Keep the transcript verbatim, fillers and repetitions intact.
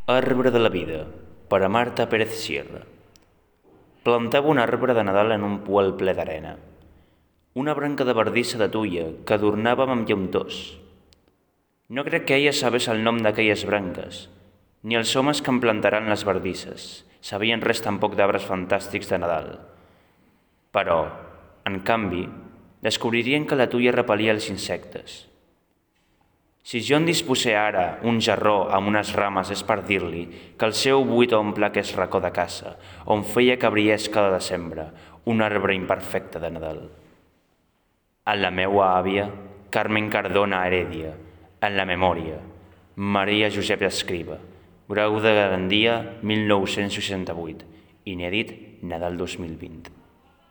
Arbre de la vida, per a Marta Pérez Sierra. Plantava un arbre de Nadal en un poel ple d'arena. Una branca de bardissa de tuia que adornàvem amb llautors. No crec que ella sabés el nom d'aquelles branques, ni els homes que em plantaran les bardisses sabien res tampoc d'arbres fantàstics de Nadal. Però, en canvi, descobririen que la tuia repelia els insectes. Si jo en disposé ara un jarró amb unes rames és per dir-li que el seu buit omple aquest racó de casa, on feia que brillés cada desembre un arbre imperfecte de Nadal. En la meua àvia, Carmen Cardona Heredia, en la memòria, Maria Josep Escriba, grau de Garandia mil nou-cents seixanta-vuit, inèdit Nadal dos mil vint.